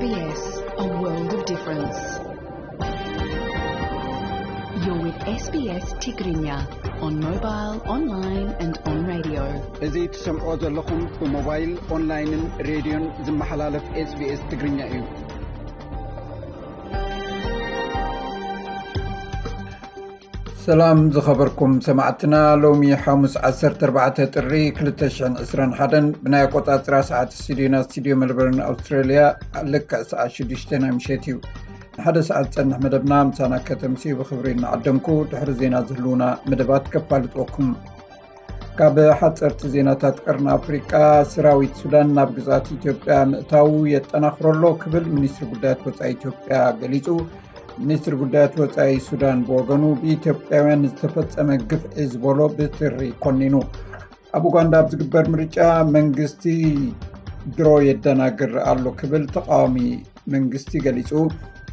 S B S, a world of difference. You're with S B S Tigrinya on mobile, online and on radio. እዚ ትሰምዖ ዘለኹም ብሞባይል፣ ኦንላይንን ሬድዮን ዝመሓላለፍ S B S ትግርኛ እዩ። ሰላም ዝኸበርኩም ሰማዕትና፣ ሎሚ ሓሙስ ዓሰርተ ኣርባዕተ ጥሪ ክልተ ሽሕን ዕስራን ሓደን ብናይ ኣቆጻጽራ ሰዓት ስቱዲዮና፣ ስቱዲዮ ሜልበርን ኣውስትራልያ፣ ልክዕ ሰዓት ሽዱሽተ ናይ ምሸት እዩ። ንሓደ ሰዓት ዝጸንሕ መደብና ምሳና ከተምስዩ ብኽብሪ እናዓደምኩ፣ ድሕሪ ዜና ዝህልዉና መደባት ከፋልጥወኩም። ካብ ሓጸርቲ ዜናታት ቀርኒ ኣፍሪቃ፣ ሰራዊት ሱዳን ናብ ግዝኣት ኢትዮጵያ ምእታዉ የጠናኽሮ ኣሎ ክብል ሚኒስትሪ ጉዳያት ወጻኢ ኢትዮጵያ ገሊጹ። ሚኒስትሪ ጉዳያት ወጻኢ ሱዳን ብወገኑ ብኢትዮጵያውያን ዝተፈጸመ ግፍዒ ዝበሎ ብትሪ ኮኒኑ። ኣብ ኡጋንዳ ኣብ ዝግበር ምርጫ መንግስቲ ድሮ የደናግር ኣሎ ክብል ተቃዋሚ መንግስቲ ገሊጹ።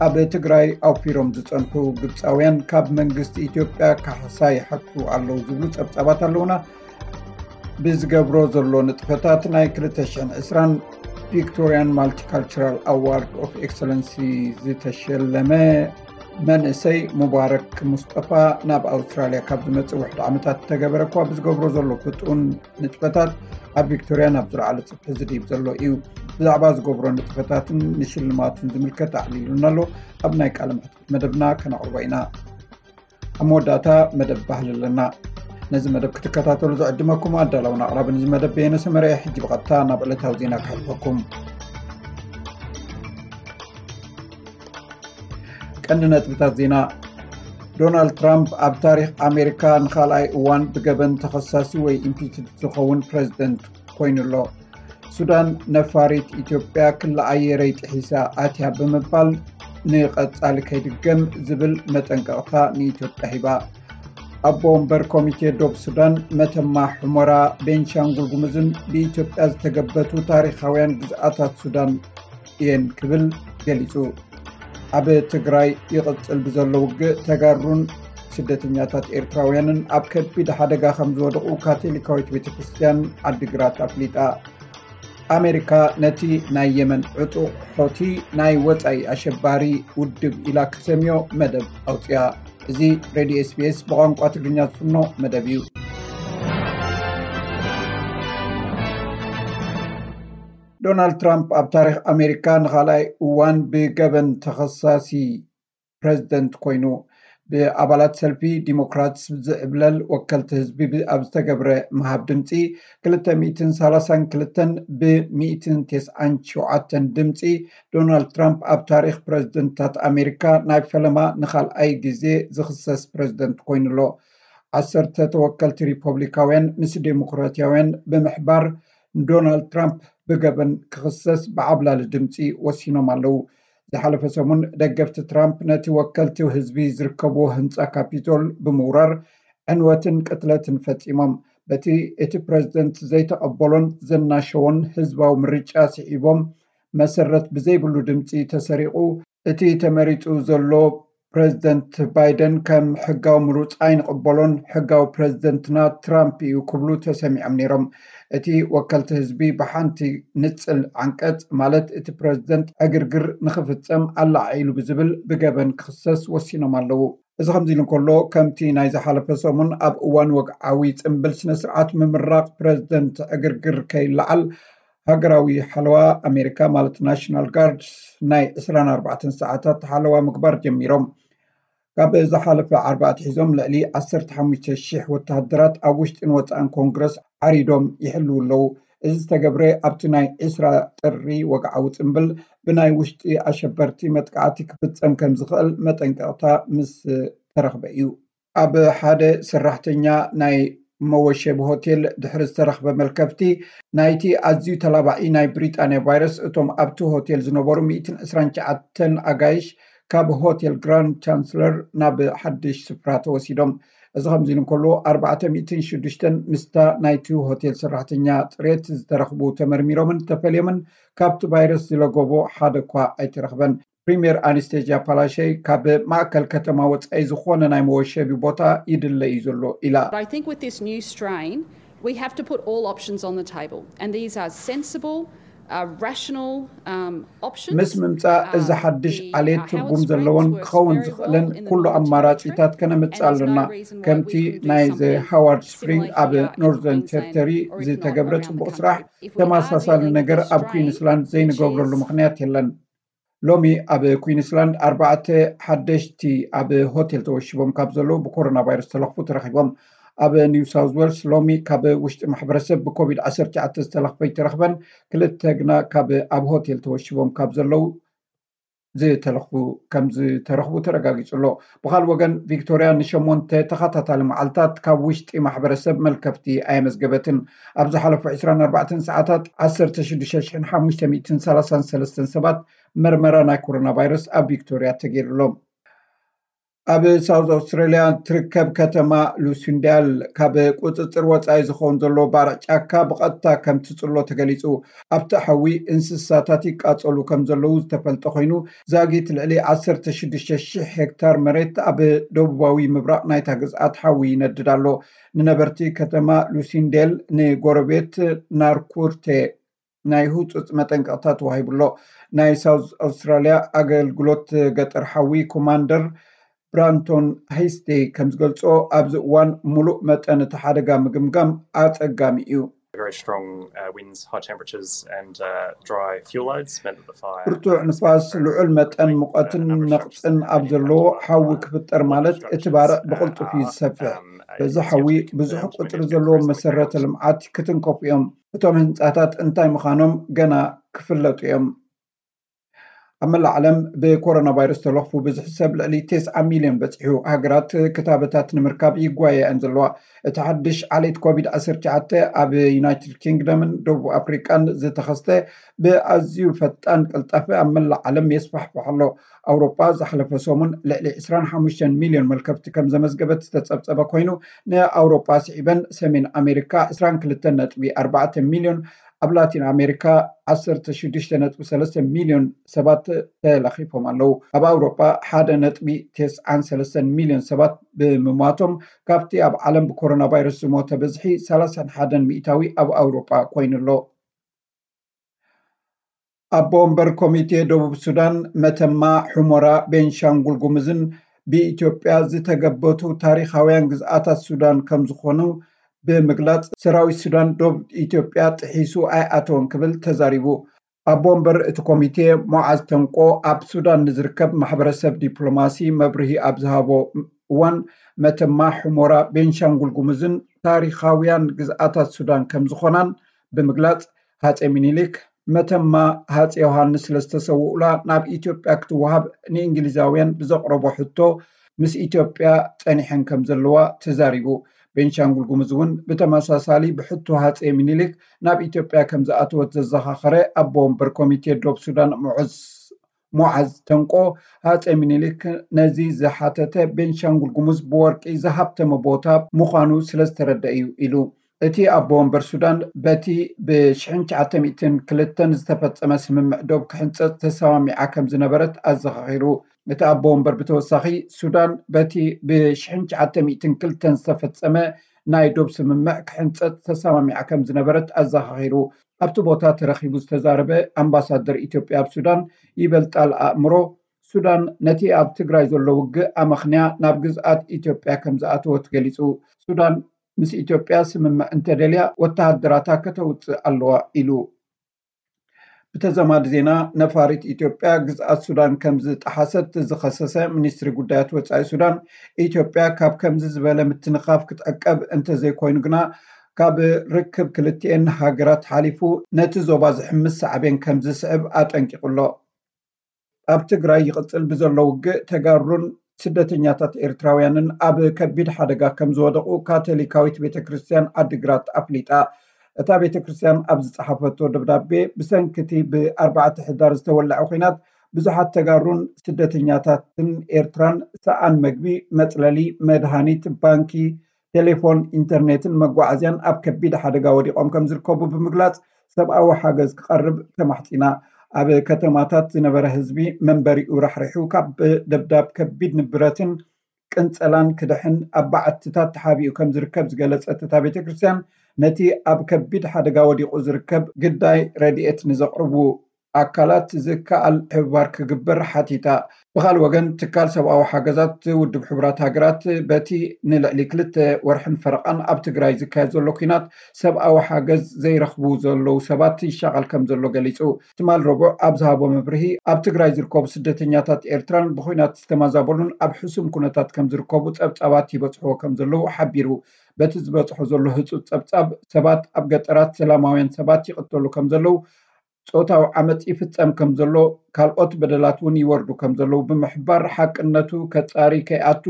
ኣብ ትግራይ ኣውፊሮም ዝጸንሑ ግብጻውያን ካብ መንግስቲ ኢትዮጵያ ካሕሳ ይሓቱ ኣለዉ ዝብሉ ጸብጻባት ኣለዉና። ብዝገብሮ ዘሎ ንጥፈታት ናይ ክልተ ሽሕን ዕስራን ቪክቶርያን ማልቲካልቸራል ኣዋርድ ኦፍ ኤክሰለንሲ ዝተሸለመ መንእሰይ ሙባረክ ሙስጠፋ ናብ ኣውስትራልያ ካብ ዝመጽእ ውሕድ ዓመታት ዝተገበረ እኳ ብዝገብሮ ዘሎ ፍጡን ንጥፈታት ኣብ ቪክቶርያ ናብ ዝለዓለ ጽፍሒ ዝድይብ ዘሎ እዩ። ብዛዕባ ዝገብሮ ንጥፈታትን ንሽልማቱን ዝምልከት ኣዕሊሉና ኣሎ። ኣብ ናይ ቃለ መሕትት መደብና ከነቕርቦ ኢና። ኣብ መወዳእታ መደብ ባህሊ ኣለና። ነዚ መደብ ክትከታተሉ ዝዕድመኩም ኣዳላውን ኣቕራብን እዚ መደብ በየነ ሰመረ። ሕጂ ብቐጥታ ናብ ዕለታዊ ዜና ክሕልፈኩም። ቀንዲ ነጥብታት ዜና። ዶናልድ ትራምፕ ኣብ ታሪኽ ኣሜሪካ ንኻልኣይ እዋን ብገበን ተኸሳሲ ወይ ኢምፒችድ ዝኸውን ፕሬዝደንት ኮይኑ ኣሎ። ሱዳን ነፋሪት ኢትዮጵያ ክሊ ኣየረይ ጥሒሳ ኣትያ ብምባል ንቐጻሊ ከይድገም ዝብል መጠንቀቕታ ንኢትዮጵያ ሂባ። ኣቦ ወንበር ኮሚቴ ዶብ ሱዳን መተማ፣ ሑመራ፣ ቤንሻንጉል ጉሙዝን ብኢትዮጵያ ዝተገበቱ ታሪኻውያን ግዝኣታት ሱዳን እየን ክብል ገሊጹ። ኣብ ትግራይ ይቕጽል ብዘሎ ውግእ ተጋሩን ስደተኛታት ኤርትራውያንን ኣብ ከቢድ ሓደጋ ከም ዝወደቑ ካቶሊካዊት ቤተ ክርስቲያን ዓዲግራት ኣፍሊጣ። ኣሜሪካ ነቲ ናይ የመን ዕጡቕ ሖቲ ናይ ወጻኢ ኣሸባሪ ውድብ ኢላ ክሰምዮ መደብ ኣውጽያ። እዚ ሬድዮ S B S ብቋንቋ ትግርኛ ዝፍኖ መደብ እዩ። ዶናልድ ትራምፕ ኣብ ታሪኽ ኣሜሪካ ንኻልኣይ እዋን ብገበን ተኸሳሲ ፕሬዝደንት ኮይኑ፣ ብኣባላት ሰልፊ ዲሞክራትስ ዝዕብለል ወከልቲ ህዝቢ ብ-፣ ኣብ ዝተገብረ ምሃብ ድምፂ፣ ክልተ ሚእትን ሰላሳን ክልተን ብ ሚእትን ተስዓን ሸውዓተን ድምፂ ዶናልድ ትራምፕ ኣብ ታሪኽ ፕሬዝደንትታት ኣሜሪካ ናይ ፈለማ ንኻልኣይ ግዜ ዝኽሰስ ፕሬዝደንት ኮይኑ ኣሎ። ዓሰርተ ተወከልቲ ሪፐብሊካውያን ምስ ዴሞክራትያውያን ብምሕባር ንዶናልድ ትራምፕ ብገበን ክኽሰስ ብዓብላሊ ድምፂ ወሲኖም ኣለዉ። ዝሓለፈ ሰሙን ደገፍቲ ትራምፕ ነቲ ወከልቲ ህዝቢ ዝርከብዎ ህንጻ ካፒቶል ብምውራር ዕንወትን ቅትለትን ፈጺሞም። በቲ እቲ ፕሬዝደንት ዘይተቐበሎን ዘናሸዎን ህዝባዊ ምርጫ ስዒቦም መሰረት ብዘይብሉ ድምጺ ተሰሪቑ፣ እቲ ተመሪጹ ዘሎ ፕሬዝደንት ባይደን ከም ሕጋዊ ምሩጽ ኣይንቕበሎን፣ ሕጋዊ ፕሬዝደንትና ትራምፕ እዩ ክብሉ ተሰሚዖም ነይሮም። እቲ ወከልቲ ህዝቢ ብሓንቲ ንጽል ዓንቀጽ፣ ማለት እቲ ፕሬዝደንት ዕግርግር ንኽፍጸም ኣላዓዒሉ ብዝብል ብገበን ክኽሰስ ወሲኖም ኣለዉ። እዚ ከምዚ ኢሉ እንከሎ፣ ከምቲ ናይ ዝሓለፈ ሰሙን ኣብ እዋን ወግዓዊ ጽምብል ስነ ስርዓት ምምራቕ ፕሬዝደንት ዕግርግር ከይለዓል ሃገራዊ ሓለዋ ኣሜሪካ ማለት ናሽናል ጋርድስ ናይ ዕስራን ኣርባዕተን ሰዓታት ሓለዋ ምግባር ጀሚሮም። ካብ ዝሓለፈ ዓርቢ ኣትሒዞም ልዕሊ ዓሰርተ ሓሙሽተ ሽሕ ወተሃደራት ኣብ ውሽጥን ወጻእን ኮንግረስ ዓሪዶም ይሕልዉ ኣለዉ። እዚ ዝተገብረ ኣብቲ ናይ ዕስራ ጥሪ ወግዓዊ ጽምብል ብናይ ውሽጢ ኣሸበርቲ መጥቃዕቲ ክፍጸም ከም ዝኽእል መጠንቀቕታ ምስ ተረኽበ እዩ። ኣብ ሓደ ሰራሕተኛ ናይ መወሸቢ ሆቴል ድሕሪ ዝተረኽበ መልከፍቲ ናይቲ ኣዝዩ ተላባዒ ናይ ብሪጣንያ ቫይረስ፣ እቶም ኣብቲ ሆቴል ዝነበሩ ሚእትን ዕስራን ትሽዓተን ኣጋይሽ ካብ ሆቴል ግራንድ ቻንስለር ናብ ሓድሽ ስፍራ ተወሲዶም። እዚ ከምዚ ኢሉ እንከሎ፣ ኣርባዕተ ሚእትን ሽዱሽተን ምስታ ናይቲ ሆቴል ሰራሕተኛ ጽሬት ዝተረኽቡ ተመርሚሮምን ተፈልዮምን ካብቲ ቫይረስ ዝለገቦ ሓደ እኳ ኣይተረኽበን። ፕሪምየር ኣናስቴዝያ ፓላሸይ ካብ ማእከል ከተማ ወጻኢ ዝኾነ ናይ መወሸቢ ቦታ ይድለ እዩ ዘሎ ኢላ። But I think with this new strain, we have to put all options on the table, and these are sensible, ምስ ምምፃእ እዚ ሓድሽ ዓሌት ትርጉም ዘለዎን ክኸውን ዝኽእልን ኩሉ ኣማራፂታት ከነምፅእ ኣለና። ከምቲ ናይ ዘ ሃዋርድ ስፕሪንግ ኣብ ኖርዘርን ቴሪተሪ ዝተገብረ ፅቡቕ ስራሕ፣ ተመሳሳሊ ነገር ኣብ ኩዊንስላንድ ዘይንገብረሉ ምኽንያት የለን። ሎሚ ኣብ ኩዊንስላንድ ኣርባዕተ ሓደሽቲ ኣብ ሆቴል ተወሺቦም ካብ ዘለዉ ብኮሮና ቫይረስ ዝተለኽፉ ተረኺቦም። ኣብ ኒው ሳውዝ ዌልስ ሎሚ ካብ ውሽጢ ማሕበረሰብ ብኮቪድ ዓሰርተ ትሽዓተ ዝተለኽፈ ኣይተረኽበን። ክልተ ግና ካብ ኣብ ሆቴል ተወሺቦም ካብ ዘለዉ ዝተለኽፉ ከም ዝተረኽቡ ተረጋጊጹ ኣሎ። ብኻልእ ወገን፣ ቪክቶርያ ንሸሞንተ ተኸታታሊ መዓልታት ካብ ውሽጢ ማሕበረሰብ መልከፍቲ ኣየመዝገበትን። ኣብ ዝሓለፉ ዕስራን ኣርባዕተን ሰዓታት ዓሰርተ ሽዱሽተ ሽሕን ሓሙሽተ ሚእትን ሰላሳን ሰለስተን ሰባት መርመራ ናይ ኮሮና ቫይረስ ኣብ ቪክቶርያ ተገይሩሎም። ኣብ ሳውዝ ኣውስትራሊያ ትርከብ ከተማ ሉሲንዳል ካብ ቁፅፅር ወፃኢ ዝኸውን ዘሎ ባርዕ ጫካ ብቐጥታ ከም ትፅሎ ተገሊፁ። ኣብቲ ሓዊ እንስሳታት ይቃፀሉ ከም ዘለዉ ዝተፈልጠ ኮይኑ፣ ዛጊት ልዕሊ ዓሰርተ ሽዱሽተ ሽሕ ሄክታር መሬት ኣብ ደቡባዊ ምብራቕ ናይታ ግዝኣት ሓዊ ይነድድ ኣሎ። ንነበርቲ ከተማ ሉሲንዴል ንጎረቤት ናርኩርቴ ናይ ህጹጽ መጠንቀቕታ ተዋሂቡ ኣሎ። ናይ ሳውዝ ኣውስትራልያ ኣገልግሎት ገጠር ሓዊ ኮማንደር ብራንቶን ሃይስቴ ከም ዝገልጾ፣ ኣብዚ እዋን ሙሉእ መጠን እቲ ሓደጋ ምግምጋም ኣጸጋሚ እዩ። Very strong uh, winds, high temperatures, and uh, dry fuel loads meant that the fire. ብርቱዕ ንፋስ፣ ልዑል መጠን ሙቐትን ነቕጽን ኣብ ዘለዎ ሓዊ ክፍጠር ማለት እቲ ባርዕ ብቕልጡፍ እዩ ዝሰፍሕ። በዚ ሓዊ ብዙሕ ቁጽሪ ዘለዎም መሰረተ ልምዓት ክትንከፉ እዮም። እቶም ህንጻታት እንታይ ምዃኖም ገና ክፍለጡ እዮም። ኣብ መላእ ዓለም ብኮሮና ቫይረስ ተለኽፉ ብዝሒ ሰብ ልዕሊ ተስዓ ሚልዮን በጺሑ። ሃገራት ክታበታት ንምርካብ ይጓየያን ዘለዋ። እቲ ሓድሽ ዓሌት ኮቪድ ዓሰርተ ትሽዓተ ኣብ ዩናይትድ ኪንግደምን ደቡብ ኣፍሪቃን ዝተኸስተ ብኣዝዩ ፈጣን ቅልጣፈ ኣብ መላእ ዓለም የስፋሕፍሕ ኣሎ። ኣውሮጳ ዝሓለፈ ሰሙን ልዕሊ ዕስራን ሓሙሽተን ሚልዮን መልከፍቲ ከም ዘመዝገበት ዝተጸብጸበ ኮይኑ፣ ንኣውሮጳ ስዒበን ሰሜን ኣሜሪካ ዕስራን ክልተን ነጥቢ ኣርባዕተ ሚልዮን፣ ኣብ ላቲን ኣሜሪካ ዓሰርተ ሽዱሽተ ነጥቢ ሰለስተ ሚልዮን ሰባት ተለኺፎም ኣለዉ። ኣብ ኣውሮጳ ሓደ ነጥቢ ተስዓን ሰለስተን ሚልዮን ሰባት ብምሟቶም፣ ካብቲ ኣብ ዓለም ብኮሮና ቫይረስ ዝሞተ ብዝሒ ሰላሳን ሓደን ሚእታዊ ኣብ ኣውሮጳ ኮይኑ ኣሎ። ኣቦ ወንበር ኮሚቴ ደቡብ ሱዳን፣ መተማ፣ ሑመራ፣ ቤንሻንጉል ጉሙዝን ብኢትዮጵያ ዝተገበቱ ታሪኻውያን ግዝኣታት ሱዳን ከም ዝኾኑ ብምግላጽ፣ ሰራዊት ሱዳን ዶብ ኢትዮጵያ ጥሒሱ ኣይኣተወን ክብል ተዛሪቡ። ኣቦ ወንበር እቲ ኮሚቴ ሞዓዝ ተንቆ ኣብ ሱዳን ንዝርከብ ማሕበረሰብ ዲፕሎማሲ መብርሂ ኣብ ዝሃቦ እዋን፣ መተማ፣ ሑመራ፣ ቤንሻንጉል ጉሙዝን ታሪኻውያን ግዝኣታት ሱዳን ከም ዝኾናን ብምግላጽ፣ ሃጼ ሚኒሊክ መተማ ሃጼ ዮሃንስ ስለዝተሰውኡላ ናብ ኢትዮጵያ ክትወሃብ ንእንግሊዛውያን ብዘቕረቦ ሕቶ ምስ ኢትዮጵያ ጸኒሐን ከም ዘለዋ ተዛሪቡ። ቤንሻንጉል ጉሙዝ እውን ብተመሳሳሊ ብሕቶ ሃጼ ሚኒሊክ ናብ ኢትዮጵያ ከም ዝኣተወት ዘዘኻኸረ ኣቦ ወንበር ኮሚቴ ዶብ ሱዳን ሙዑዝ ሞዓዝ ተንቆ፣ ሃጼ ሚኒሊክ ነዚ ዝሓተተ ቤንሻንጉል ጉሙዝ ብወርቂ ዝሃብተመ ቦታ ምዃኑ ስለዝተረደ እዩ ኢሉ። እቲ ኣቦ ወንበር ሱዳን በቲ ብሽሕን ትሽዓተ ሚእትን ክልተን ዝተፈጸመ ስምምዕ ዶብ ክሕንጸጽ ተሰማሚዓ ከም ዝነበረት ኣዘኻኺሩ። እቲ ኣቦ ወንበር ብተወሳኺ፣ ሱዳን በቲ ብሽሕን ትሽዓተ ሚእትን ክልተን ዝተፈጸመ ናይ ዶብ ስምምዕ ክሕንጸጽ ተሰማሚዓ ከም ዝነበረት ኣዘኻኺሩ። ኣብቲ ቦታ ተረኺቡ ዝተዛረበ ኣምባሳደር ኢትዮጵያ ኣብ ሱዳን ይበልጣል ኣእምሮ፣ ሱዳን ነቲ ኣብ ትግራይ ዘሎ ውግእ ኣመኽንያ ናብ ግዝኣት ኢትዮጵያ ከም ዝኣተወት ገሊጹ። ሱዳን ምስ ኢትዮጵያ ስምምዕ እንተደልያ ወተሃደራታ ከተውጽእ ኣለዋ ኢሉ። ብተዘማዲ ዜና፣ ነፋሪት ኢትዮጵያ ግዝኣት ሱዳን ከም ዝጠሓሰት ዝኸሰሰ ሚኒስትሪ ጉዳያት ወጻኢ ሱዳን፣ ኢትዮጵያ ካብ ከምዚ ዝበለ ምትንኻፍ ክትዕቀብ እንተዘይኮይኑ ግና፣ ካብ ርክብ ክልቲኤን ሃገራት ሓሊፉ ነቲ ዞባ ዝሕምስ ሳዕቤን ከም ዝስዕብ ኣጠንቂቑ ኣሎ። ኣብ ትግራይ ይቕጽል ብዘሎ ውግእ፣ ተጋሩን ስደተኛታት ኤርትራውያንን ኣብ ከቢድ ሓደጋ ከም ዝወደቑ ካቶሊካዊት ቤተ ክርስቲያን ዓዲግራት ኣፍሊጣ። እታ ቤተ ክርስቲያን ኣብ ዝጸሓፈቶ ደብዳቤ፣ ብሰንኪ እቲ ብኣርባዕተ ሕዳር ዝተወልዐ ኲናት ብዙሓት ተጋሩን ስደተኛታትን ኤርትራን ሰኣን መግቢ፣ መጽለሊ፣ መድሃኒት፣ ባንኪ፣ ቴሌፎን፣ ኢንተርኔትን መጓዓዝያን ኣብ ከቢድ ሓደጋ ወዲቖም ከም ዝርከቡ ብምግላጽ፣ ሰብኣዊ ሓገዝ ክቐርብ ተማሕጺና። ኣብ ከተማታት ዝነበረ ህዝቢ መንበሪኡ ራሕሪሑ፣ ካብ ደብዳብ ከቢድ ንብረትን ቅንጸላን ክድሕን ኣብ በዓትታት ተሓቢኡ ከም ዝርከብ ዝገለጸት እታ ቤተ ክርስቲያን፣ ነቲ ኣብ ከቢድ ሓደጋ ወዲቑ ዝርከብ ግዳይ ረድኤት ንዘቕርቡ ኣካላት ዝከኣል ምሕብባር ክግበር ሓቲታ። ብኻልእ ወገን፣ ትካል ሰብኣዊ ሓገዛት ውድብ ሕቡራት ሃገራት በቲ ንልዕሊ ክልተ ወርሕን ፈረቓን ኣብ ትግራይ ዝካየድ ዘሎ ኲናት ሰብኣዊ ሓገዝ ዘይረኽቡ ዘለዉ ሰባት ይሻቐል ከም ዘሎ ገሊጹ። ትማል ረቡዕ ኣብ ዝሃቦ መብርሂ፣ ኣብ ትግራይ ዝርከቡ ስደተኛታት ኤርትራን ብኹናት ዝተማዛበሉን ኣብ ሕሱም ኩነታት ከም ዝርከቡ ጸብጻባት ይበጽሕዎ ከም ዘለዉ ሓቢሩ። በቲ ዝበጽሖ ዘሎ ህጹጽ ጸብጻብ፣ ሰባት ኣብ ገጠራት ሰላማውያን ሰባት ይቕተሉ ከም ዘለዉ፣ ጾታዊ ዓመጽ ይፍጸም ከም ዘሎ፣ ካልኦት በደላት እውን ይወርዱ ከም ዘለዉ ብምሕባር፣ ሓቅነቱ ከጻሪ ከይኣቱ፣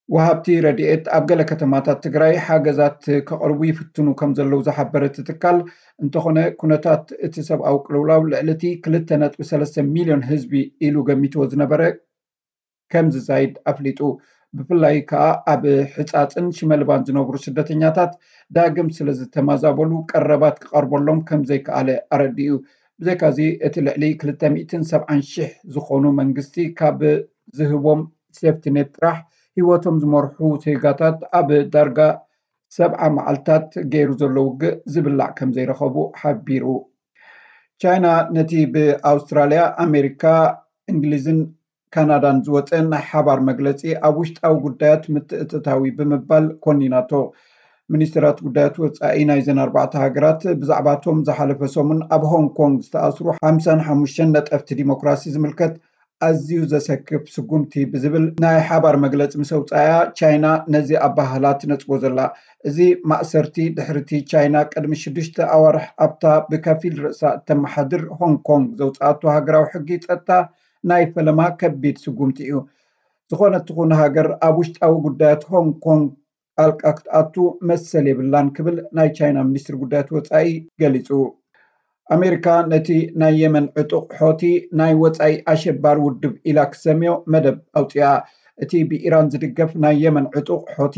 ወሃብቲ ረድኤት ኣብ ገለ ከተማታት ትግራይ ሓገዛት ከቕርቡ ይፍትኑ ከም ዘለዉ ዝሓበረ እቲ ትካል፣ እንተኾነ ኩነታት እቲ ሰብኣዊ ቅልውላው ልዕሊ እቲ ክልተ ነጥቢ ሰለስተ ሚልዮን ህዝቢ ኢሉ ገሚትዎ ዝነበረ ከም ዝዛይድ ኣፍሊጡ። ብፍላይ ከኣ ኣብ ሕጻጽን ሽመልባን ዝነብሩ ስደተኛታት ዳግም ስለ ዝተማዛበሉ ቀረባት ክቐርበሎም ከም ዘይከኣለ ኣረዲኡ። ብዘይካዚ፣ እቲ ልዕሊ ክልተ ሚእትን ሰብዓን ሽሕ ዝኾኑ መንግስቲ ካብ ዝህቦም ሴፍቲኔት ጥራሕ ህይወቶም ዝመርሑ ዜጋታት ኣብ ዳርጋ ሰብዓ መዓልታት ገይሩ ዘሎ ውግእ ዝብላዕ ከም ዘይረኸቡ ሓቢሩ። ቻይና ነቲ ብኣውስትራልያ፣ ኣሜሪካ፣ እንግሊዝን ካናዳን ዝወጸ ናይ ሓባር መግለጺ ኣብ ውሽጣዊ ጉዳያት ምትእትታዊ ብምባል ኮኒናቶ። ሚኒስትራት ጉዳያት ወጻኢ ናይዘን ኣርባዕተ ሃገራት ብዛዕባቶም ዝሓለፈ ሰሙን ኣብ ሆንግ ኮንግ ዝተኣስሩ ሓምሳን ሓሙሽተን ነጠፍቲ ዲሞክራሲ ዝምልከት ኣዝዩ ዘሰክፍ ስጉምቲ ብዝብል ናይ ሓባር መግለጺ ምስ ኣውጻያ፣ ቻይና ነዚ ኣባህላ ትነጽጎ ዘላ። እዚ ማእሰርቲ ድሕሪቲ ቻይና ቅድሚ ሽዱሽተ ኣዋርሕ ኣብታ ብከፊል ርእሳ እተመሓድር ሆንግ ኮንግ ዘውጽኣቶ ሃገራዊ ሕጊ ጸጥታ ናይ ፈለማ ከቢድ ስጉምቲ እዩ። ዝኾነት ትኹን ሃገር ኣብ ውሽጣዊ ጉዳያት ሆንግ ኮንግ ጣልቃ ክትኣቱ መሰል የብላን ክብል ናይ ቻይና ሚኒስትሪ ጉዳያት ወጻኢ ገሊጹ። ኣሜሪካ ነቲ ናይ የመን ዕጡቕ ሖቲ ናይ ወጻኢ ኣሸባሪ ውድብ ኢላ ክሰምዮ መደብ ኣውጺኣ። እቲ ብኢራን ዝድገፍ ናይ የመን ዕጡቕ ሖቲ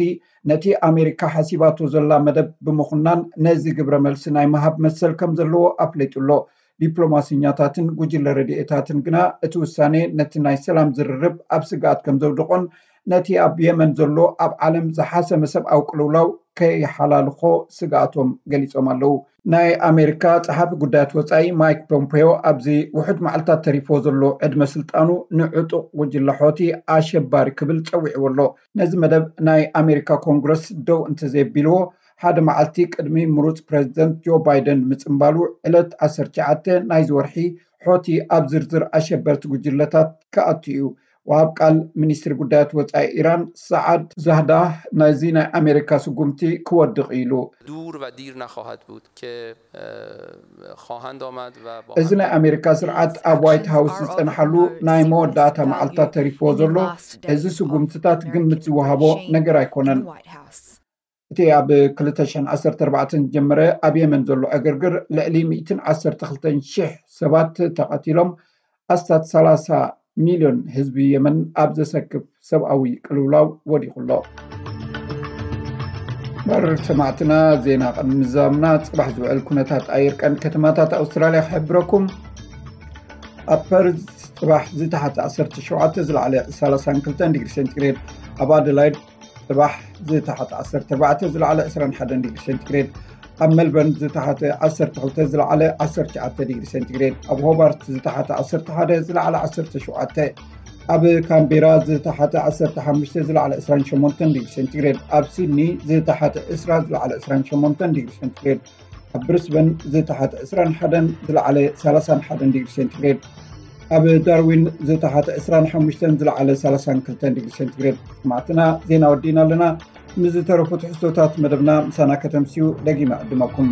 ነቲ ኣሜሪካ ሓሲባቶ ዘላ መደብ ብምኹናን ነዚ ግብረ መልሲ ናይ ምሃብ መሰል ከም ዘለዎ ኣፍሊጡ ኣሎ። ዲፕሎማሲኛታትን ጉጅለ ረድኤታትን ግና እቲ ውሳኔ ነቲ ናይ ሰላም ዝርርብ ኣብ ስግኣት ከም ዘውድቖን ነቲ ኣብ የመን ዘሎ ኣብ ዓለም ዝሓሰመ ሰብኣዊ ቅልውላው ከይሓላልኾ ስግኣቶም ገሊጾም ኣለዉ። ናይ ኣሜሪካ ጸሓፊ ጉዳያት ወጻኢ ማይክ ፖምፔዮ ኣብዚ ውሑድ መዓልታት ተሪፎ ዘሎ ዕድመ ስልጣኑ ንዕጡቕ ጉጅለ ሖቲ ኣሸባሪ ክብል ጸዊዕዎ ኣሎ። ነዚ መደብ ናይ ኣሜሪካ ኮንግረስ ደው እንተዘየቢልዎ፣ ሓደ መዓልቲ ቅድሚ ምሩጽ ፕረዚደንት ጆ ባይደን ምጽንባሉ፣ ዕለት ዓሰርተ ትሽዓተ ናይዚ ወርሒ ሖቲ ኣብ ዝርዝር ኣሸበርቲ ጉጅለታት ክኣቱ እዩ። ወሃብ ቃል ሚኒስትሪ ጉዳያት ወጻኢ ኢራን ሰዓድ ዛህዳህ ነዚ ናይ ኣሜሪካ ስጉምቲ ክወድቕ ኢሉ። دور و دیر نخواهد بود که اه، خواهند آمد و با እዚ ናይ ኣሜሪካ ስርዓት ኣብ ዋይት ሃውስ ዝጸንሓሉ ናይ መወዳእታ መዓልታት ተሪፍዎ ዘሎ፣ እዚ ስጉምትታት ግምት ዝወሃቦ ነገር ኣይኮነን። እቲ ኣብ ክልተ ሽሕን ዓሰርተ ኣርባዕተን ዝጀመረ ኣብ የመን ዘሎ ዕግርግር ልዕሊ ሚእትን ዓሰርተ ክልተን ሽሕ ሰባት ተቐቲሎም፣ ኣስታት ሰላሳ ሚልዮን ህዝቢ የመን ኣብ ዘሰክፍ ሰብኣዊ ቅልውላው ወዲቑ ኣሎ። በር ሰማዕትና፣ ዜና ቅድሚ ምዛምና ጽባሕ ዝውዕል ኩነታት ኣየር ቀንዲ ከተማታት ኣውስትራልያ ክሕብረኩም። ኣብ ፐርዝ ጽባሕ ዝተሓተ ዓሰርተ ሸውዓተ፣ ዝለዓለ ሰላሳን ክልተን ዲግሪ ሴንቲግሬድ፣ ኣብ ኣደላይድ ጽባሕ ዝተሓተ ዓሰርተ ኣርባዕተ፣ ዝለዓለ ዕስራን ሓደን ዲግሪ ሴንቲግሬድ፣ ኣብ ሜልበርን ዝተሓተ ዓሰርተ ክልተ፣ ዝለዓለ ዓሰርተ ትሽዓተ ዲግሪ ሴንቲግሬድ፣ ኣብ ሆባርት ዝተሓተ ዓሰርተ ሓደ፣ ዝለዓለ ዓሰርተ ሸውዓተ፣ ኣብ ካምቤራ ዝተሓተ ዓሰርተ ሓሙሽተ፣ ዝለዓለ ዕስራን ሸሞንተን ዲግሪ ሴንቲግሬድ፣ ኣብ ሲድኒ ዝተሓተ ዕስራ፣ ዝለዓለ ዕስራን ሸሞንተን ዲግሪ ሴንቲግሬድ፣ ኣብ ብሪስበን ዝተሓተ ዕስራን ሓደን፣ ዝለዓለ ሰላሳን ሓደን ዲግሪ ሴንቲግሬድ፣ ኣብ ዳርዊን ዝተሓተ ዕስራን ሓሙሽተን፣ ዝለዓለ ሰላሳን ክልተን ዲግሪ ሴንቲግሬድ። ሰማዕትና፣ ዜና ወዲእና ኣለና። ንዝተረፉ ትሕዝቶታት መደብና ምሳና ከተምስዩ ደጊመ ዕድመኩም።